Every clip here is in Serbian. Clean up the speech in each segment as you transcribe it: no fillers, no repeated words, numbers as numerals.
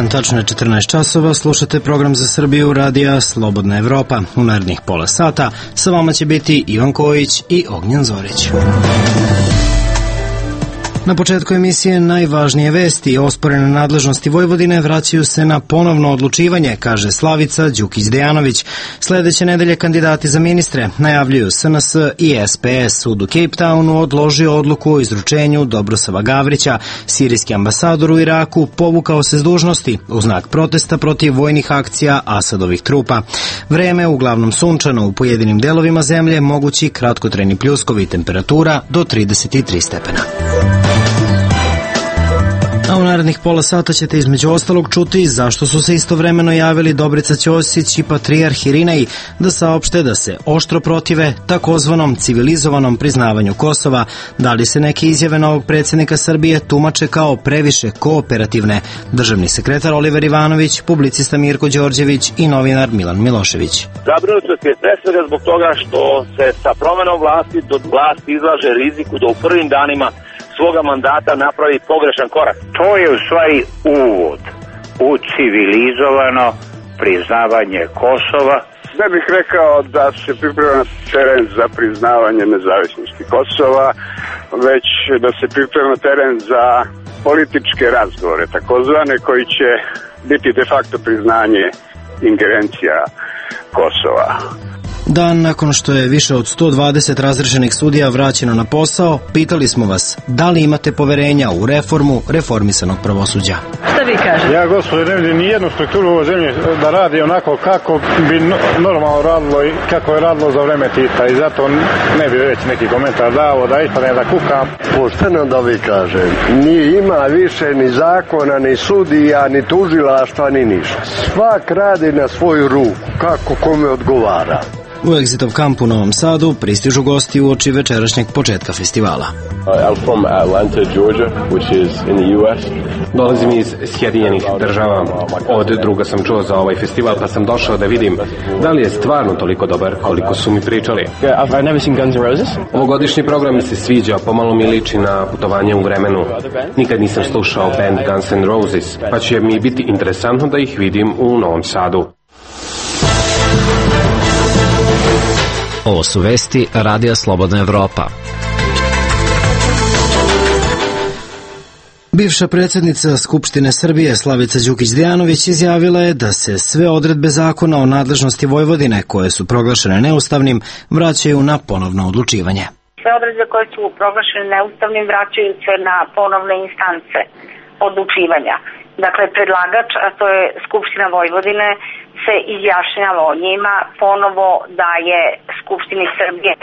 dan, tačno je 14 časova, slušate program za Srbiju radija Slobodna Evropa. U narednih pola sata sa vama će biti Ivan Kojić i Ognjen Zorić. Na početku emisije najvažnije vesti. Osporene nadležnosti Vojvodine vraćaju se na ponovno odlučivanje, kaže Slavica Đukić-Dejanović. Sledeće nedelje kandidati za ministre najavljuju SNS i SPS. Sud u Cape Townu odložio odluku o izručenju Dobrosava Gavrića. Sirijski ambasador u Iraku povukao se s dužnosti u znak protesta protiv vojnih akcija Asadovih trupa. Vreme uglavnom sunčano, u pojedinim delovima zemlje mogući kratkotrajni pljuskovi, temperatura do 33 stepena. A u narednih pola sata ćete između ostalog čuti zašto su se istovremeno javili Dobrica Ćosić i patrijarh Irinej da saopšte da se oštro protive takozvanom civilizovanom priznavanju Kosova, da li se neke izjave novog predsjednika Srbije tumače kao previše kooperativne. Državni sekretar Oliver Ivanović, publicista Mirko Đorđević i novinar Milan Milošević. Zabrinutost je pre svega zbog toga što se sa promenom vlasti do vlasti izlaže riziku da u prvim danima svoga mandata napravi pogrešan korak. To je u stvari uvod u civilizovano priznavanje Kosova. Ne bih rekao da se priprema teren za priznavanje nezavisnosti Kosova, već da se priprema teren za političke razgovore, takozvane, koji će biti de facto priznanje ingerencija Kosova. Dan nakon što je više od 120 razrešenih sudija vraćeno na posao, pitali smo vas da li imate poverenja u reformu reformisanog pravosuđa. Šta vi kažete? Ja, gospodine, ne vidim ni jednu strukturu u ovoj zemlji da radi onako kako bi normalno radilo i kako je radilo za vreme Tita, i zato ne bi već neki komentar dao, da ispadne da kukam. Pošteno da vi kažem, ni ima više ni zakona, ni sudija, ni tužilaštva, ni ništa. Svak radi na svoju ruku, kako kome odgovara. U Exitov kamp u Novom Sadu pristižu gosti uoči večerašnjeg početka festivala. I'm from Atlanta, Georgia, which is in the US. Dolazim iz Sjedinjenih država. Od druga sam čuo za ovaj festival, pa sam došao da vidim da li je stvarno toliko dobar koliko su mi pričali. I've never seen Guns N' Roses. Ovogodišnji program mi se sviđa, pomalo mi liči na putovanje u vremenu. Nikad nisam slušao band Guns N' Roses, pa će mi biti interesantno da ih vidim u Novom Sadu. Ovo su vesti Radija Slobodna Evropa. Bivša predsjednica Skupštine Srbije Slavica Đukić-Dejanović izjavila je da se sve odredbe zakona o nadležnosti Vojvodine koje su proglašene neustavnim vraćaju na ponovno odlučivanje. Sve odredbe koje su proglašene neustavnim vraćaju se na ponovne instance odlučivanja. Dakle, predlagač, a to je Skupština Vojvodine, se izjašnjava o njima, ponovo daje Skupštini Srbije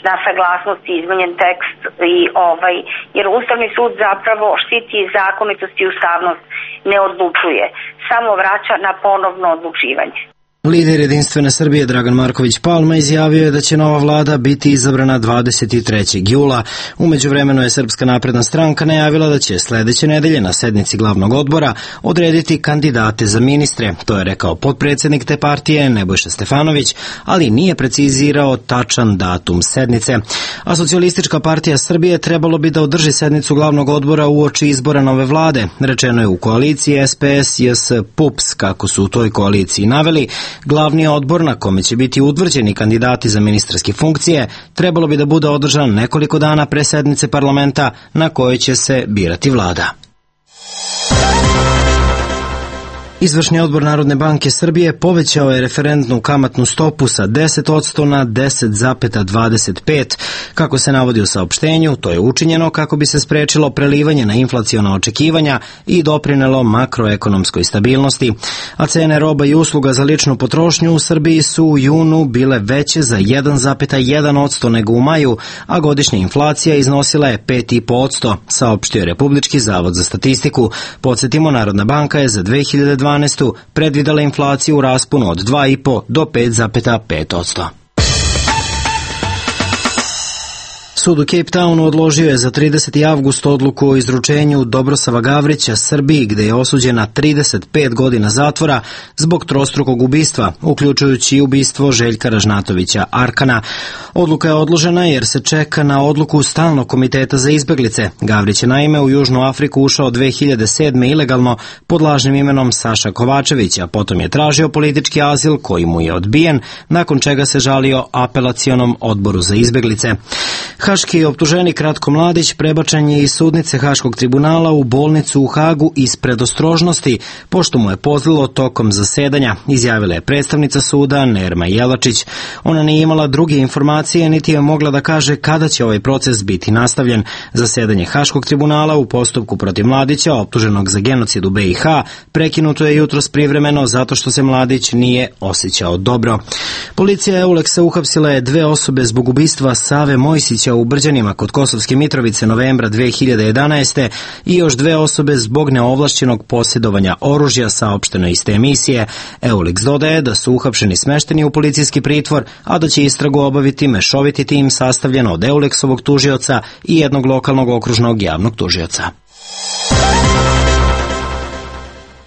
na saglasnost izmenjen tekst jer Ustavni sud zapravo štiti zakonitost i ustavnost, ne odlučuje, samo vraća na ponovno odlučivanje. Lider Jedinstvene Srbije Dragan Marković Palma izjavio je da će nova vlada biti izabrana 23. jula. U međuvremenu je Srpska napredna stranka najavila da će sledeće nedelje na sednici glavnog odbora odrediti kandidate za ministre. To je rekao potpredsjednik te partije Nebojša Stefanović, ali nije precizirao tačan datum sednice. A Socijalistička partija Srbije trebalo bi da održi sednicu glavnog odbora uoči izbora nove vlade. Rečeno je u koaliciji SPS, JS, PUPS, kako su u toj koaliciji naveli. Glavni odbor na kome će biti utvrđeni kandidati za ministarske funkcije trebalo bi da bude održan nekoliko dana pre sednice parlamenta na kojoj će se birati vlada. Izvršni odbor Narodne banke Srbije povećao je referentnu kamatnu stopu sa 10% na 10,25%. Kako se navodi u saopštenju, to je učinjeno kako bi se sprečilo prelivanje na inflaciona očekivanja i doprinelo makroekonomskoj stabilnosti. A cene roba i usluga za ličnu potrošnju u Srbiji su u junu bile veće za 1,1% nego u maju, a godišnja inflacija iznosila je 5,5%, saopštio je Republički zavod za statistiku. Podsjetimo, Narodna banka je za 2012. predvidela inflaciju u rasponu od 2,5 do 5,5%. Sud u Cape Townu odložio je za 30. avgust odluku o izručenju Dobrosava Gavrića Srbiji, gde je osuđen na 35 godina zatvora zbog trostrukog ubistva, uključujući i ubistvo Željka Ražnatovića Arkana. Odluka je odložena jer se čeka na odluku Stalnog komiteta za izbeglice. Gavrić je naime u Južnu Afriku ušao 2007. ilegalno pod lažnim imenom Saša Kovačević, a potom je tražio politički azil koji mu je odbijen, nakon čega se žalio apelacionom odboru za izbeglice. Haški optuženik Ratko Mladić prebačen je iz sudnice Haškog tribunala u bolnicu u Hagu iz predostrožnosti, pošto mu je pozlilo tokom zasedanja, izjavila je predstavnica suda Nerma Jelačić. Ona nije imala druge informacije, niti je mogla da kaže kada će ovaj proces biti nastavljen. Zasedanje Haškog tribunala u postupku protiv Mladića, optuženog za genocid u BiH, prekinuto je jutros privremeno zato što se Mladić nije osjećao dobro. Policija Euleksa uhapsila je 2 osobe zbog ubistva Save Mojsića u Brđanima kod Kosovske Mitrovice novembra 2011. i još 2 osobe zbog neovlašćenog posjedovanja oružja, saopšteno iz te emisije. Euleks dodaje da su uhapšeni smešteni u policijski pritvor, a da će istragu obaviti mešoviti tim sastavljen od Euleksovog tužioca i jednog lokalnog okružnog javnog tužioca.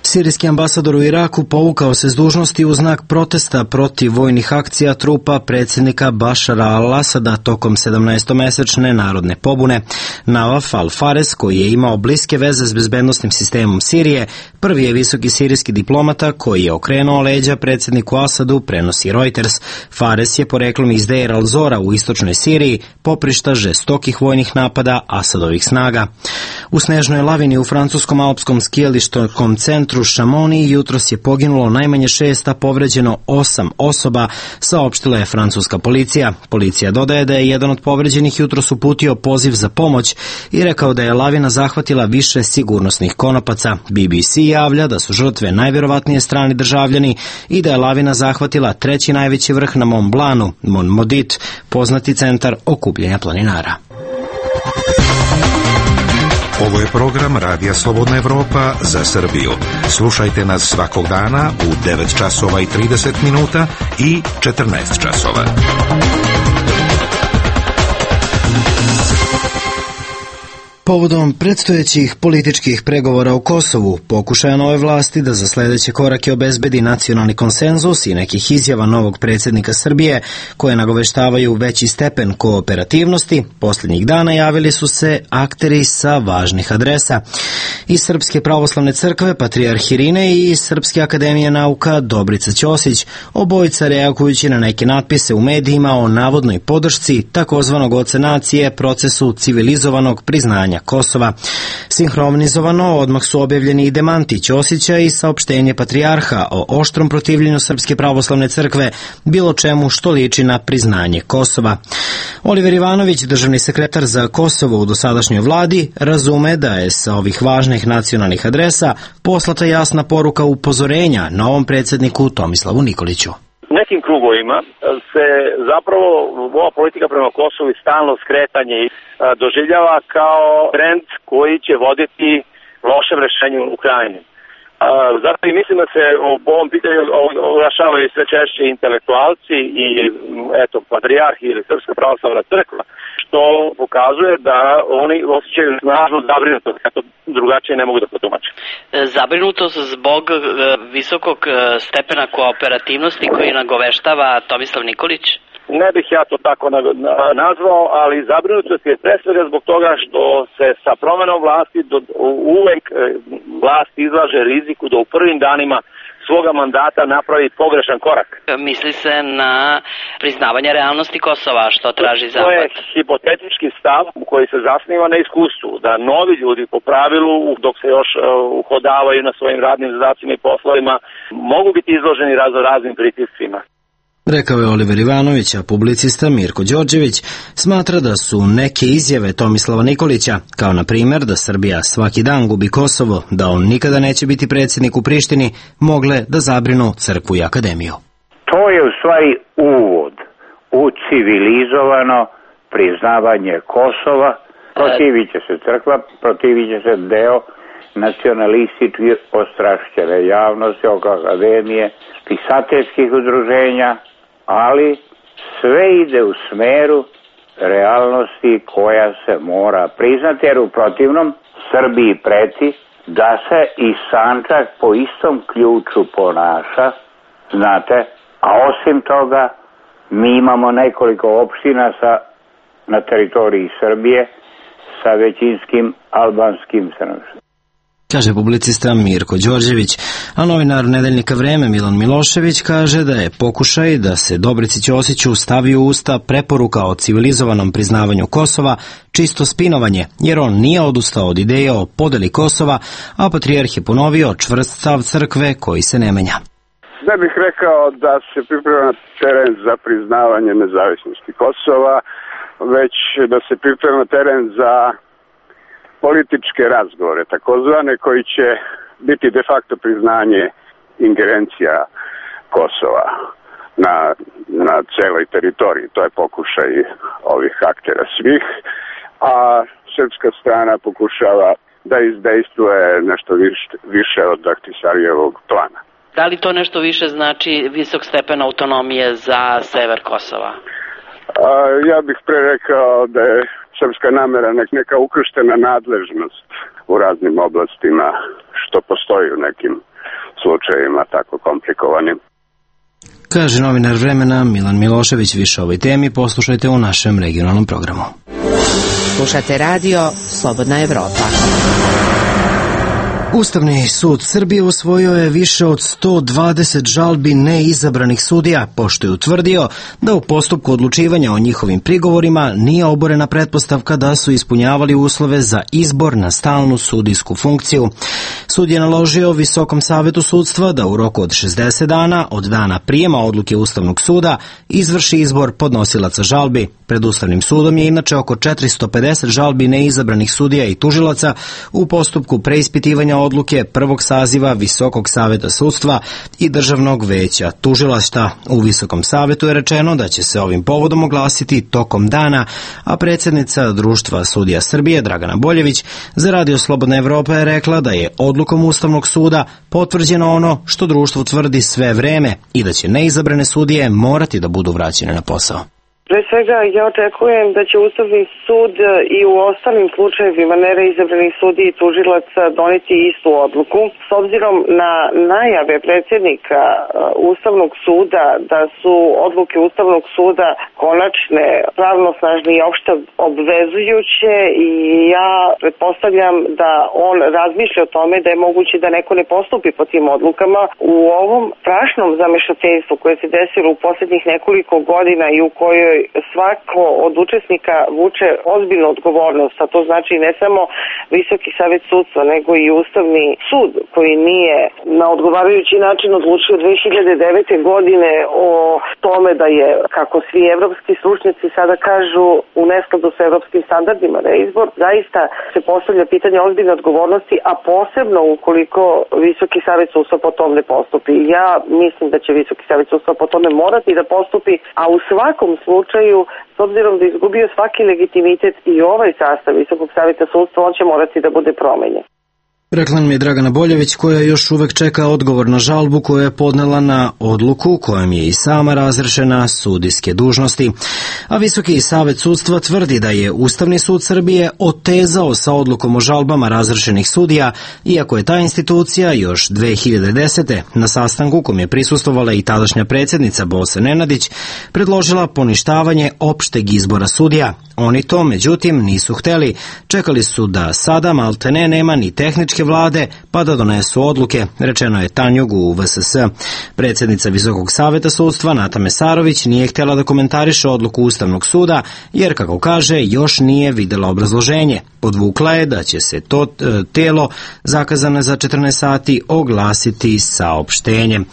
Sirijski ambasador u Iraku povukao se s dužnosti u znak protesta protiv vojnih akcija trupa predsjednika Bašara al-Asada tokom 17-mesečne narodne pobune. Nawaf al-Fares, koji je imao bliske veze s bezbednostnim sistemom Sirije, prvi je visoki sirijski diplomata koji je okrenuo leđa predsjedniku Asadu, prenosi Reuters. Fares je poreklom iz Deir al-Zora u istočnoj Siriji, poprišta žestokih vojnih napada Asadovih snaga. U snežnoj lavini u francuskom alpskom skijalištom centru Šamoni jutros je poginulo najmanje 6, a povređeno 8 osoba, saopštila je francuska policija. Policija dodaje da je jedan od povređenih jutros uputio poziv za pomoć i rekao da je lavina zahvatila više sigurnosnih konopaca. BBC javlja da su žrtve najvjerovatnije strani državljani i da je lavina zahvatila 3. najveći vrh na Mont Blancu, Mont Maudit, poznati centar okupljenja planinara. Ovo je program Radija Slobodna Evropa za Srbiju. Slušajte nas svakog dana u 9 časova i 30 minuta i 14 časova. Povodom predstojećih političkih pregovora u Kosovu, pokušaja nove vlasti da za sledeće korake obezbedi nacionalni konsenzus i nekih izjava novog predsjednika Srbije, koje nagoveštavaju veći stepen kooperativnosti, posljednjih dana javili su se akteri sa važnih adresa. Iz Srpske pravoslavne crkve Patrijarh Irine i iz Srpske akademije nauka Dobrica Ćosić, obojica reagujući na neke natpise u medijima o navodnoj podršci takozvanog oca nacije procesu civilizovanog priznanja Kosova. Sinhronizovano odmah su objavljeni i demanti Ćosića i saopštenje Patrijarha o oštrom protivljenju Srpske pravoslavne crkve bilo čemu što liči na priznanje Kosova. Oliver Ivanović, državni sekretar za Kosovo u dosadašnjoj vladi, razume da je sa ovih važnih nacionalnih adresa poslata jasna poruka upozorenja novom predsjedniku Tomislavu Nikoliću. U nekim krugovima se zapravo ova politika prema Kosovu i stalno skretanje doživljava kao trend koji će voditi lošem rešenju u Ukrajini. Zato i mislim da se o ovom pitanju oglašavaju sve češće intelektualci i patrijarhi ili Srpska pravoslavna crkva, što pokazuje da oni osjećaju snažnu zabrinutost, kako drugačije ne mogu da potumače. Zabrinutost zbog visokog stepena kooperativnosti koji nagoveštava Tomislav Nikolić? Ne bih ja to tako nazvao, ali zabrinutost je pre svega zbog toga što se sa promenom vlasti uvek vlast izlaže riziku da u prvim danima svoga mandata napravi pogrešan korak. Misli se na priznavanje realnosti Kosova, što traži Zapad. To je hipotetički stav koji se zasniva na iskustvu, da novi ljudi po pravilu, dok se još uhodavaju na svojim radnim zadacima i poslovima, mogu biti izloženi raznim pritiscima. Rekao je Oliver Ivanović, a publicista Mirko Đorđević smatra da su neke izjave Tomislava Nikolića, kao na primjer da Srbija svaki dan gubi Kosovo, da on nikada neće biti predsjednik u Prištini, mogle da zabrinu crkvu i akademiju. To je u stvari uvod u civilizovano priznavanje Kosova. Protivit će se crkva, protivit će se deo nacionalistički ostrašćene javnosti oko akademije, pisateljskih udruženja, ali sve ide u smeru realnosti koja se mora priznati, jer u protivnom Srbiji preti da se i Sandžak po istom ključu ponaša, znate, a osim toga mi imamo nekoliko opština na teritoriji Srbije sa većinskim albanskim stanovništvom. Kaže publicista Mirko Đorđević, a novinar nedeljnika Vreme Milan Milošević kaže da je pokušaj da se Dobrici Ćosiću stavi u usta preporuka o civilizovanom priznavanju Kosova čisto spinovanje, jer on nije odustao od ideje o podeli Kosova, a patrijarh je ponovio čvrst stav crkve koji se ne menja. Ne bih rekao da se priprema teren za priznavanje nezavisnosti Kosova, već da se priprema teren za političke razgovore, takozvane, koji će biti de facto priznanje ingerencija Kosova na celoj teritoriji. To je pokušaj ovih aktera svih, a srpska strana pokušava da izdejstvuje nešto više od Ahtisarijevog plana. Da li to nešto više znači visok stepen autonomije za sever Kosova? Ja bih pre rekao da je srpska namera neka ukrštena nadležnost u raznim oblastima, što postoji u nekim slučajevima tako komplikovanim. Kaže novinar Vremena Milan Milošević. Više o ovoj temi poslušajte u našem regionalnom programu. Slušate radio Slobodna Evropa. Ustavni sud Srbije usvojio je više od 120 žalbi neizabranih sudija, pošto je utvrdio da u postupku odlučivanja o njihovim prigovorima nije oborena pretpostavka da su ispunjavali uslove za izbor na stalnu sudijsku funkciju. Sud je naložio Visokom savetu sudstva da u roku od 60 dana od dana prijema odluke Ustavnog suda izvrši izbor podnosilaca žalbi. Pred Ustavnim sudom je inače oko 450 žalbi neizabranih sudija i tužilaca u postupku preispitivanja odluke prvog saziva Visokog saveta sudstva i Državnog veća tužilaštva. U Visokom savetu je rečeno da će se ovim povodom oglasiti tokom dana, a predsjednica Društva sudija Srbije Dragana Boljević za Radio Slobodna Evropa je rekla da je odlukom Ustavnog suda potvrđeno ono što društvo tvrdi sve vreme i da će neizabrane sudije morati da budu vraćene na posao. Pre svega, ja očekujem da će Ustavni sud i u ostalim slučajevima neizabranih sudija i tužilaca doneti istu odluku. S obzirom na najave predsjednika Ustavnog suda da su odluke Ustavnog suda konačne, pravnosnažne i opšte obvezujuće, i ja pretpostavljam da on razmišlja o tome da je moguće da neko ne postupi po tim odlukama. U ovom strašnom zamešateljstvu koje se desilo u posljednjih nekoliko godina i u kojoj svako od učesnika vuče ozbiljnu odgovornost, a to znači ne samo Visoki savet sudstva, nego i Ustavni sud, koji nije na odgovarajući način odlučio 2009. godine o tome da je, kako svi evropski stručnjaci sada kažu, u neskladu sa evropskim standardima reizbor. Zaista se postavlja pitanje ozbiljne odgovornosti, a posebno ukoliko Visoki savet sudstva po tom ne postupi. Ja mislim da će Visoki savet sudstva po tome morati da postupi, a u svakom slučaju, s obzirom da je izgubio svaki legitimitet i ovaj sastav Visokog saveta sudstva, on će morati da bude promenjen. Rekla mi je Dragana Boljević, koja još uvek čeka odgovor na žalbu koju je podnela na odluku kojom je i sama razrešena sudijske dužnosti. A Visoki savet sudstva tvrdi da je Ustavni sud Srbije otezao sa odlukom o žalbama razrešenih sudija, iako je ta institucija još 2010. na sastanku kom je prisustvovala i tadašnja predsjednica Bosa Nenadić predložila poništavanje opšteg izbora sudija. Oni to, međutim, nisu hteli. Čekali su da sada maltene nema ni tehničke vlade, pa da donesu odluke, rečeno je Tanjug u VSS. Predsjednica Visokog saveta sudstva Nata Mesarović nije htjela da komentariše odluku Ustavnog suda, jer, kako kaže, još nije videla obrazloženje. Podvukla je da će se to telo, zakazano za 14 sati, oglasiti saopštenjem.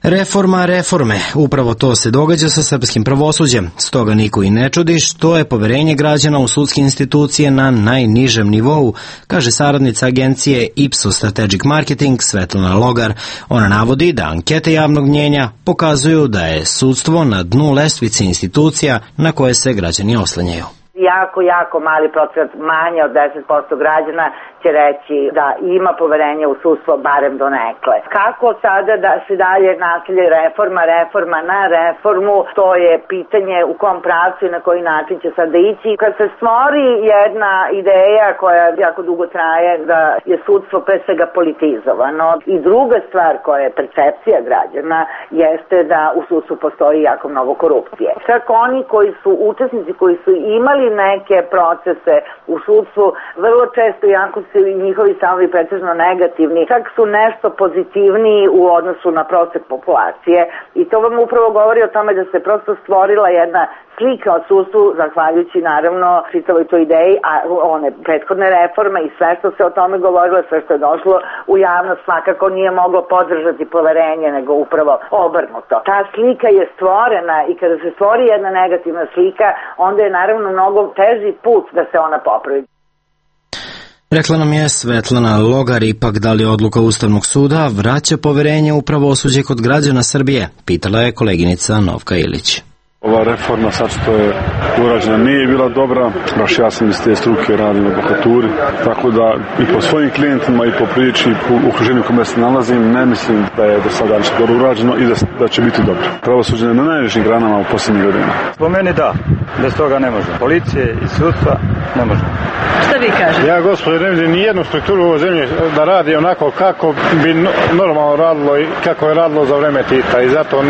Reforma reforme, upravo to se događa sa srpskim pravosuđem, stoga niko i ne čudi što je poverenje građana u sudske institucije na najnižem nivou, kaže saradnica agencije Ipsos Strategic Marketing Svetlana Logar. Ona navodi da ankete javnog mnjenja pokazuju da je sudstvo na dnu lestvice institucija na koje se građani oslanjaju. jako mali procenat, manje od 10% građana će reći da ima poverenje u sudstvo barem donekle. Kako sada da se dalje nasilje reforma na reformu, to je pitanje u kom pravcu i na koji način će sada ići. Kad se stvori jedna ideja koja jako dugo traje da je sudstvo pre svega politizovano i druga stvar koja je percepcija građana jeste da u sudstvu postoji jako mnogo korupcije. Čak oni koji su učesnici, koji su imali neke procese u sudstvu, vrlo često, jako su i njihovi stavovi pretežno negativni, čak su nešto pozitivniji u odnosu na prosek populacije i to vam upravo govori o tome da se prosto stvorila jedna slika o sudstvu, zahvaljujući naravno čitavoj toj ideji, a one prethodne reforme i sve što se o tome govorilo, sve što je došlo u javnost svakako nije moglo podržati poverenje, nego upravo obrnuto. Ta slika je stvorena i kada se stvori jedna negativna slika, onda je naravno mnogo teži put da se ona popravi. Rekla nam je Svetlana Logar. Ipak, da li odluka Ustavnog suda vraća poverenje u pravosuđe kod građana Srbije? Pitala je koleginica Novka Ilić. Ova reforma sad što je urađena nije bila dobra, baš ja sam iz te struke radim u advokaturi, tako da i po svojim klijentima i po priči i po okruženju kome se nalazim ne mislim da je do sada ništa dobro urađeno i da će biti dobro. Pravosuđe na najvišim granama u posljednjih godina. Po meni da, bez toga ne može. Policije i sudstva ne može. Šta vi kažete? Ja, gospodine, ne vidim nijednu strukturu u ovoj zemlji da radi onako kako bi normalno radilo i kako je radilo za vreme Tita i zato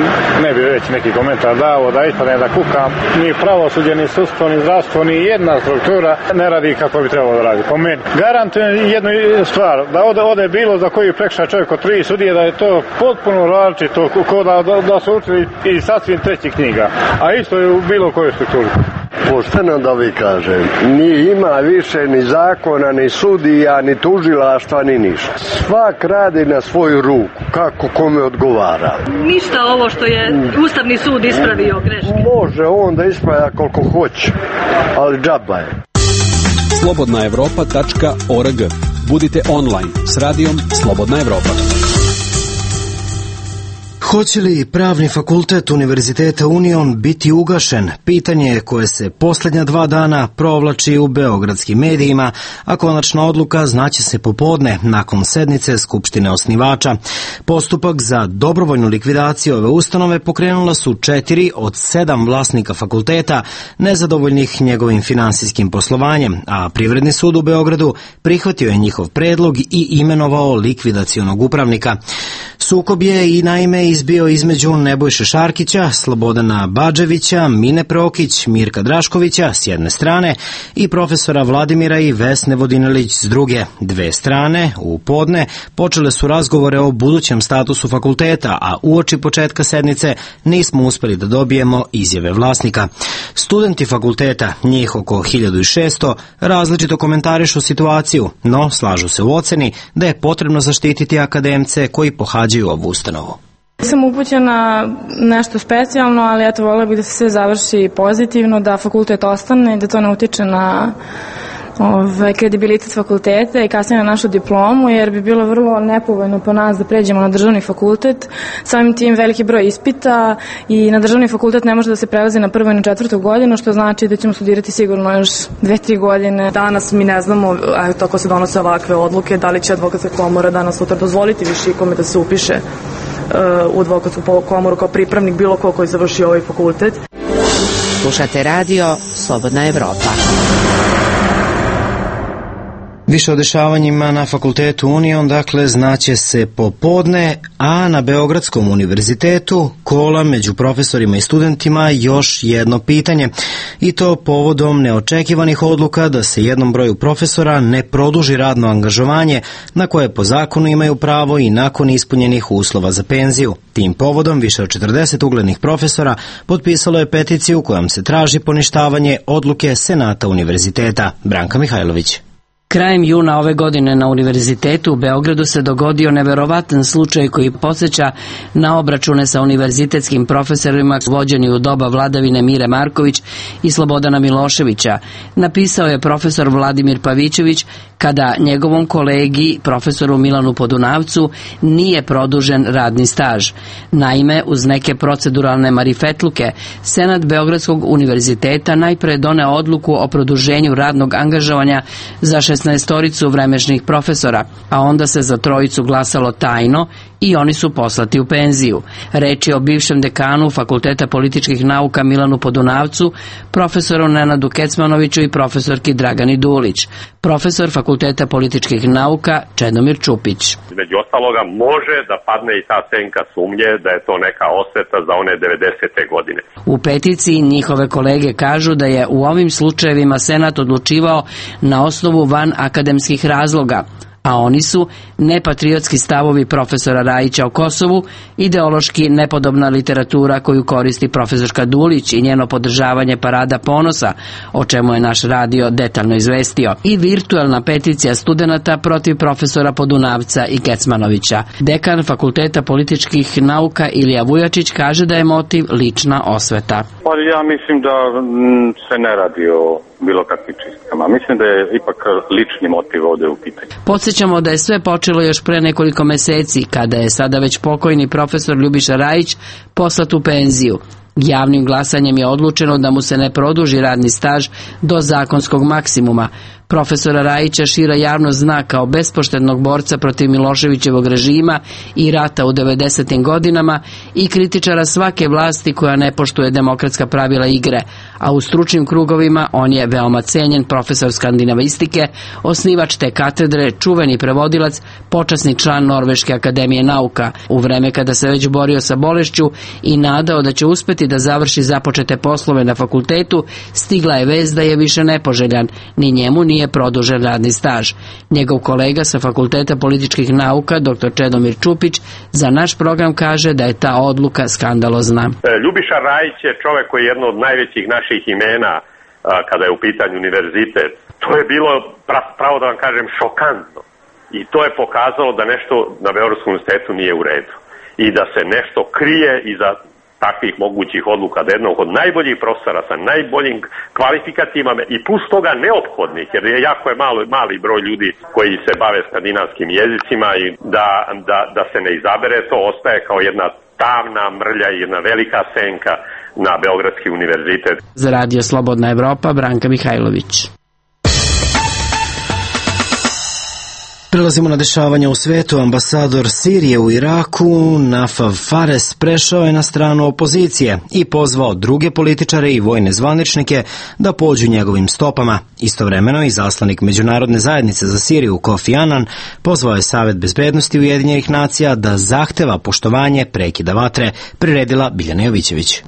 ne bi već neki komentar dao da ispadne da kukam. Ni pravosuđe, ni sudstvo, ni zdravstvo, ni jedna struktura ne radi kako bi trebalo da radi. Po meni. Garantujem jednu stvar, da ode bilo za koji prekršaj čovjek od 3 sudije, da je to potpuno različito, ko da su učili i sasvim trećih knjiga. A isto je u bilo kojoj strukturi. Pošteno da vi kažem, ni ima više ni zakona, ni sudija, ni tužilaštva, ni ništa. Svak radi na svoju ruku, kako kome odgovara. Ništa ovo što je Ustavni sud ispravio greške. Može on da ispravlja koliko hoće, ali džaba je. slobodnaevropa.org. Budite online s radijom Slobodna Evropa. Hoće li pravni fakultet Univerziteta Union biti ugašen? Pitanje je koje se posljednja 2 dana provlači u beogradskim medijima, a konačna odluka znaće se popodne nakon sednice Skupštine osnivača. Postupak za dobrovoljnu likvidaciju ove ustanove pokrenula su 4 od 7 vlasnika fakulteta nezadovoljnih njegovim finansijskim poslovanjem, a Privredni sud u Beogradu prihvatio je njihov predlog i imenovao likvidacionog upravnika. Sukob je i naime izbio između Nebojše Šarkića, Slobodana Badževića, Mine Prokić, Mirka Draškovića s jedne strane i profesora Vladimira i Vesne Vodinelić s druge. 2 strane u podne počele su razgovore o budućem statusu fakulteta, a uoči početka sednice nismo uspeli da dobijemo izjave vlasnika. Studenti fakulteta, njih oko 1600, različito komentarišu situaciju, no slažu se u oceni da je potrebno zaštititi akademce koji pohađaju ovu ustanovu. Sam upućena nešto specijalno, ali eto, voljela bih da se sve završi pozitivno, da fakultet ostane, da to ne utiče na kredibilitet fakulteta i kasnije na našu diplomu, jer bi bilo vrlo nepovoljno po nas da pređemo na državni fakultet. Samim tim veliki broj ispita i na državni fakultet ne može da se prelazi na 1. i na 4. godinu, što znači da ćemo studirati sigurno još 2-3 godine. Danas mi ne znamo, eto, ako se donose ovakve odluke, da li će advokatska komora danas sutra dozvoliti više ikome da se upiše u advokatsku komoru kao pripravnik bilo ko koji završi ovaj fakultet. Slušate radio Slobodna Evropa. Više o dešavanjima na fakultetu Union, dakle, znaće se popodne, a na Beogradskom univerzitetu kola među profesorima i studentima još jedno pitanje, i to povodom neočekivanih odluka da se jednom broju profesora ne produži radno angažovanje na koje po zakonu imaju pravo i nakon ispunjenih uslova za penziju. Tim povodom više od 40 uglednih profesora potpisalo je peticiju kojom se traži poništavanje odluke Senata univerziteta. Branka Mihajlović. Krajem juna ove godine na Univerzitetu u Beogradu se dogodio neverovatan slučaj koji podsjeća na obračune sa univerzitetskim profesorima vođeni u doba vladavine Mire Marković i Slobodana Miloševića, napisao je profesor Vladimir Pavićević kada njegovom kolegi, profesoru Milanu Podunavcu, nije produžen radni staž. Naime, uz neke proceduralne marifetluke, Senat Beogradskog univerziteta najpre doneo odluku o produženju radnog angažovanja za 16-toricu vremešnih profesora, a onda se za trojicu glasalo tajno i oni su poslati u penziju. Reč je o bivšem dekanu Fakulteta političkih nauka Milanu Podunavcu, profesoru Nenadu Kecmanoviću i profesorki Dragani Dulić. Profesor Fakulteta političkih nauka Čedomir Čupić. Među ostaloga može da padne i ta senka sumnje da je to neka osveta za one 90. godine. U peticiji njihove kolege kažu da je u ovim slučajevima Senat odlučivao na osnovu van akademskih razloga, a oni su nepatriotski stavovi profesora Rajića o Kosovu, ideološki nepodobna literatura koju koristi profesorka Dulić i njeno podržavanje Parada ponosa, o čemu je naš radio detaljno izvestio, i virtuelna peticija studenata protiv profesora Podunavca i Kecmanovića. Dekan Fakulteta političkih nauka Ilija Vujačić kaže da je motiv lična osveta. Pa ja mislim da se ne radi o bilo kakvim čistkama. Mislim da je ipak lični motiv ovde u pitanju. Podsjećamo da je sve počelo još pre nekoliko meseci, kada je sada već pokojni profesor Ljubiša Rajić poslat u penziju. Javnim glasanjem je odlučeno da mu se ne produži radni staž do zakonskog maksimuma. Profesora Rajića šira javnost zna kao bespoštednog borca protiv Miloševićevog režima i rata u 90. godinama i kritičara svake vlasti koja ne poštuje demokratska pravila igre, a u stručnim krugovima on je veoma cenjen profesor skandinavistike, osnivač te katedre, čuveni prevodilac, počasni član Norveške akademije nauka. U vreme kada se već borio sa bolešću i nadao da će uspeti da završi započete poslove na fakultetu, stigla je vest da je više nepoželjan, ni njemu nije produžen radni staž. Njegov kolega sa Fakulteta političkih nauka, dr. Čedomir Čupić, za naš program kaže da je ta odluka skandalozna. Ljubiša Rajić je čovek koji je jedno od najvećih naših imena kada je u pitanju univerzitet. To je bilo, pravo da vam kažem, šokantno. I to je pokazalo da nešto na Beogradskom univerzitetu nije u redu. I da se nešto krije iza takvih mogućih odluka, da jednog od najboljih profesora sa najboljim kvalifikatima i plus toga neophodnih, jer je jako mali broj ljudi koji se bave skandinavskim jezicima i da se ne izabere, to ostaje kao jedna tamna mrlja i jedna velika senka na Beogradski univerzitet. Za Radio Slobodna Evropa, Branka Mihajlović. Prelazimo na dešavanja u svetu. Ambasador Sirije u Iraku, Nafaf Fares, prešao je na stranu opozicije i pozvao druge političare i vojne zvaničnike da pođu njegovim stopama. Istovremeno i zaslanik Međunarodne zajednice za Siriju Kofi Annan pozvao je Savet bezbednosti Ujedinjenih nacija da zahteva poštovanje prekida vatre, priredila Biljana Jovićević.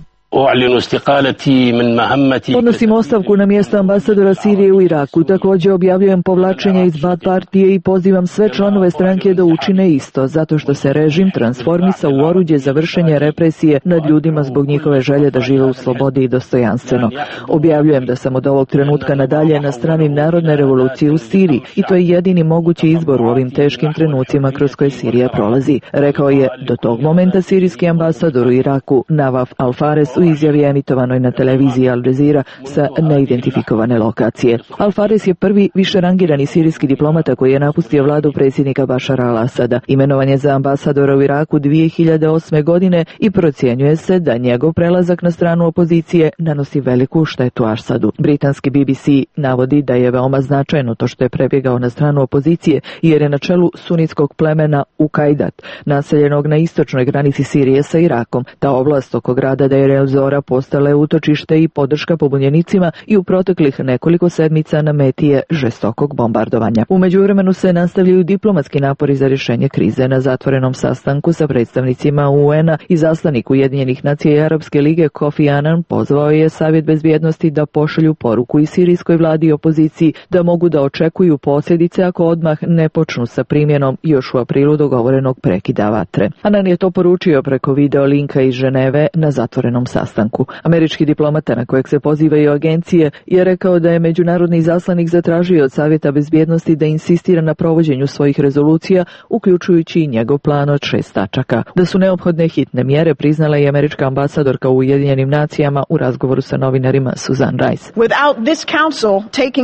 Podnosim ostavku na mjesto ambasadora Sirije u Iraku. Također objavljujem povlačenje iz Baath partije i pozivam sve članove stranke da učine isto, zato što se režim transformisao u oruđe za vršenje represije nad ljudima zbog njihove želje da žive u slobodi i dostojanstveno. Objavljujem da sam od ovog trenutka nadalje na strani narodne revolucije u Siriji i to je jedini mogući izbor u ovim teškim trenucima kroz koje Sirija prolazi, rekao je do tog momenta sirijski ambasador u Iraku Navaf Al-Fares u izjavi emitovanoj na televiziji Al Jazeera sa neidentifikovane lokacije. Al-Fares je prvi višerangirani sirijski diplomata koji je napustio vladu predsjednika Bašara al-Asada. Imenovan je za ambasadora u Iraku 2008. godine i procjenjuje se da njegov prelazak na stranu opozicije nanosi veliku štetu Asadu. Britanski BBC navodi da je veoma značajno to što je prebjegao na stranu opozicije jer je na čelu sunitskog plemena Ukajdat, naseljenog na istočnoj granici Sirije sa Irakom. Ta oblast oko grada Deir el-Zora postala je utočište i podrška pobunjenicima i u proteklih nekoliko sedmica na meti je žestokog bombardovanja. U međuvremenu se nastavljaju diplomatski napori za rješenje krize. Na zatvorenom sastanku sa predstavnicima UN-a i zaslanik Ujedinjenih nacija i Arapske lige Kofi Annan pozvao je Savjet bezbjednosti da pošalju poruku i sirijskoj vladi i opoziciji da mogu da očekuju posljedice ako odmah ne počnu sa primjenom još u aprilu dogovorenog prekida vatre. Annan je to poručio preko video linka iz Ženeve na zatvorenom sastanku. sastanku. Američki diplomata na kojeg se pozivaju agencije je rekao da je međunarodni izaslanik zatražio od Savjeta bezbjednosti da insistira na provođenju svojih rezolucija, uključujući i njegov plan od 6 tačaka. Da su neophodne hitne mjere priznala i američka ambasadorka u Ujedinjenim nacijama u razgovoru sa novinarima Susan Rice.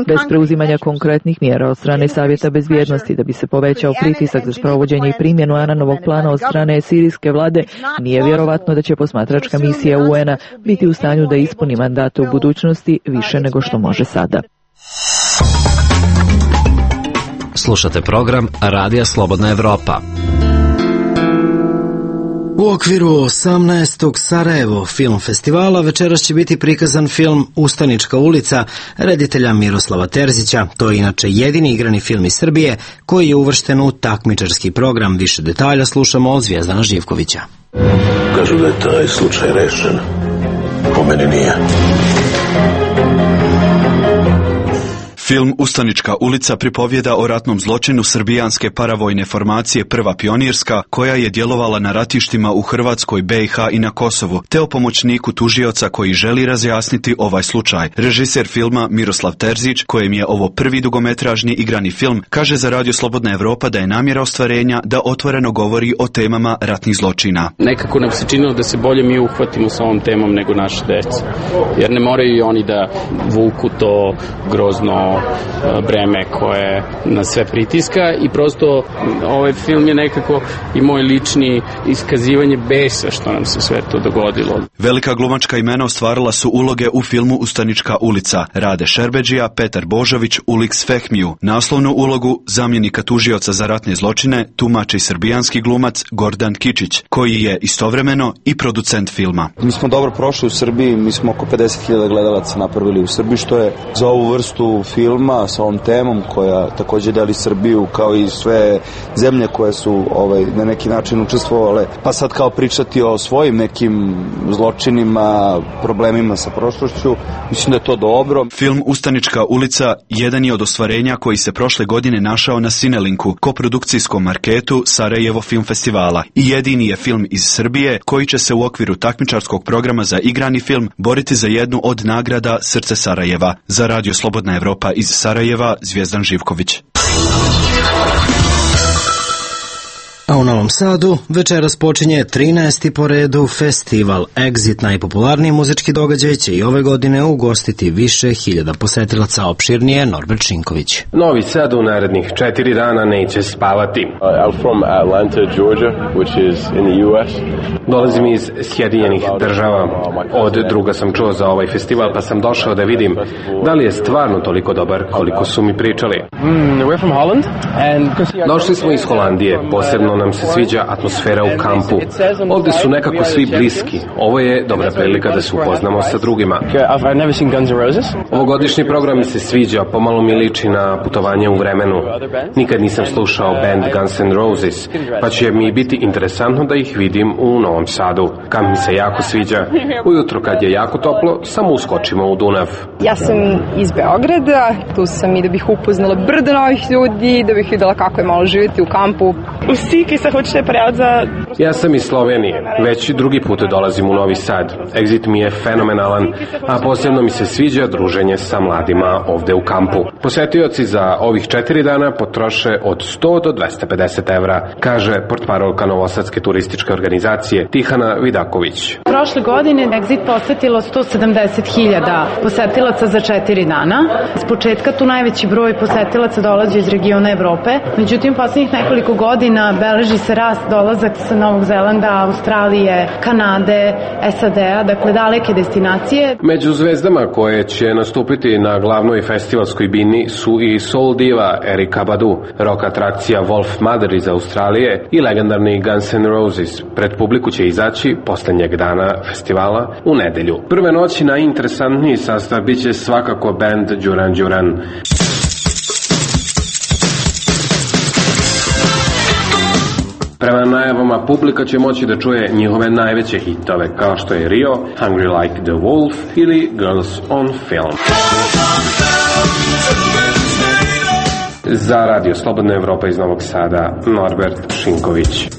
Bez preuzimanja konkretnih mjera od strane Savjeta bezbjednosti da bi se povećao pritisak za sprovođenje i primjenu Ananovog plana od strane sirijske vlade, nije vjerovatno da će posmatračka misija UN-a biti u stanju da ispuni mandate u budućnosti više nego što može sada. Slušate program Radija Slobodna Evropa. U okviru 18. Sarajevo film festivala večeras će biti prikazan film Ustanička ulica reditelja Miroslava Terzića. To je inače jedini igrani film iz Srbije koji je uvršten u takmičarski program. Više detalja slušamo od Zvijezdana Živkovića. Kažu da je taj slučaj rešen. Po meni nije. Film Ustanička ulica pripovjeda o ratnom zločinu srbijanske paravojne formacije Prva pionirska, koja je djelovala na ratištima u Hrvatskoj, BiH i na Kosovu, te o pomoćniku tužioca koji želi razjasniti ovaj slučaj. Režiser filma Miroslav Terzić, kojem je ovo prvi dugometražni igrani film, kaže za Radio Slobodna Evropa da je namjera ostvarenja da otvoreno govori o temama ratnih zločina. Nekako nam se činilo da se bolje mi uhvatimo sa ovom temom nego naše djeca, jer ne moraju i oni da vuku to grozno breme koje nas sve pritiska i prosto ovaj film je nekako i moj lični iskazivanje besa što nam se sve to dogodilo. Velika glumačka imena ostvarila su uloge u filmu Ustanička ulica: Rade Šerbeđija, Petar Božović, Uliks Fehmiju. Naslovnu ulogu zamjenika tužioca za ratne zločine tumači srbijanski glumac Gordan Kičić, koji je istovremeno i producent filma. Mi smo dobro prošli u Srbiji, mi smo oko 50.000 gledalaca napravili u Srbiji, što je za ovu vrstu filma sa ovom temom koja također deli Srbiju kao i sve zemlje koje su na neki način učestvovale, pa sad kao pričati o svojim nekim zločinima, problemima sa prošlošću, mislim da je to dobro. Film Ustanička ulica jedan je od ostvarenja koji se prošle godine našao na Cinelinku, koprodukcijskom marketu Sarajevo film festivala, i jedini je film iz Srbije koji će se u okviru takmičarskog programa za igrani film boriti za jednu od nagrada Srce Sarajeva. Za Radio Slobodna Evropa iz Sarajeva, Zvijezdan Živković. A u Novom Sadu večeras počinje 13. po redu festival Exit. Najpopularniji muzički događaj će i ove godine ugostiti više hiljada posetilaca. Opširnije Norbert Šinković. Novi Sad u narednih 4 dana neće spavati. I'm from Atlanta, Georgia, which is in the US. Dolazim iz Sjedinjenih država. Od druga sam čuo za ovaj festival, pa sam došao da vidim da li je stvarno toliko dobar koliko su mi pričali. We're from Holland. Došli smo iz Holandije, posebno nam se sviđa atmosfera u kampu. Ovdje su nekako svi bliski. Ovo je dobra prilika da se upoznamo sa drugima. Ovogodišnji program mi se sviđa, pomalo mi liči na putovanje u vremenu. Nikad nisam slušao band Guns N' Roses, pa će mi biti interesantno da ih vidim u Novom Sadu. Kamp mi se jako sviđa. Ujutro kad je jako toplo, samo uskočimo u Dunav. Ja sam iz Beograda, tu sam i da bih upoznala brdo novih ljudi, da bih videla kako je malo živjeti u kampu. Ja sam iz Slovenije, već drugi put dolazim u Novi Sad. Exit mi je fenomenalan, a posebno mi se sviđa druženje sa mladima ovde u kampu. Posetioci za ovih 4 dana potroše od 100 do 250 evra, kaže portparolka Novosadske turističke organizacije Tihana Vidaković. Prošle godine Exit posetilo 170.000 posetilaca za 4 dana. S početka tu najveći broj posetilaca dolazi iz regiona Evrope, međutim posljednjih nekoliko godina beleži se rast dolazak sa Novog Zelanda, Australije, Kanade, SAD-a, dakle daleke destinacije. Među zvezdama koje će nastupiti na glavnoj festivalskoj bini su i soul diva Erykah Badu, rock atrakcija Wolf Mother iz Australije i legendarni Guns N' Roses. Pred publiku će izaći posljednjeg dana festivala u nedelju. Prve noći najinteresantniji sastav bit će svakako band Duran Duran. Prema najavama, publika će moći da čuje njihove najveće hitove, kao što je Rio, Hungry Like the Wolf ili Girls on Film. Za Radio Slobodna Evropa iz Novog Sada, Norbert Šinković.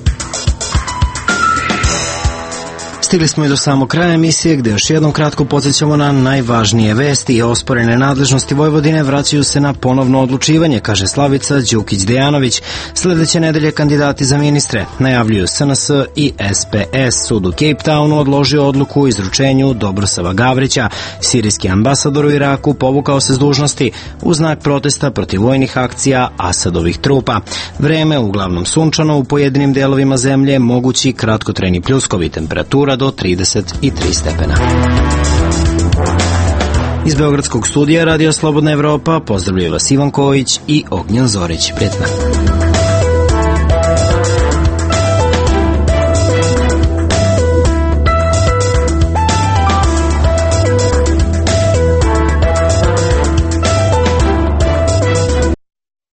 Stigli smo i do samog kraja emisije gde još jednom kratko podsjećamo na najvažnije vesti i osporene nadležnosti Vojvodine vraćaju se na ponovno odlučivanje, kaže Slavica Đukić-Dejanović. Sledeće nedelje kandidati za ministre najavljuju SNS i SPS. Sud u Cape Townu odložio odluku o izručenju Dobrosava Gavrića. Sirijski ambasador u Iraku povukao se s dužnosti u znak protesta protiv vojnih akcija Asadovih trupa. Vreme uglavnom sunčano, u pojedinim delovima zemlje mogući kratkotrajni pljuskovi, temperatura do 33 stepena. Iz Beogradskog studija Radio Slobodna Evropa pozdravljaju vas Ivan Kojić i Ognjen Zorić. Prijetno.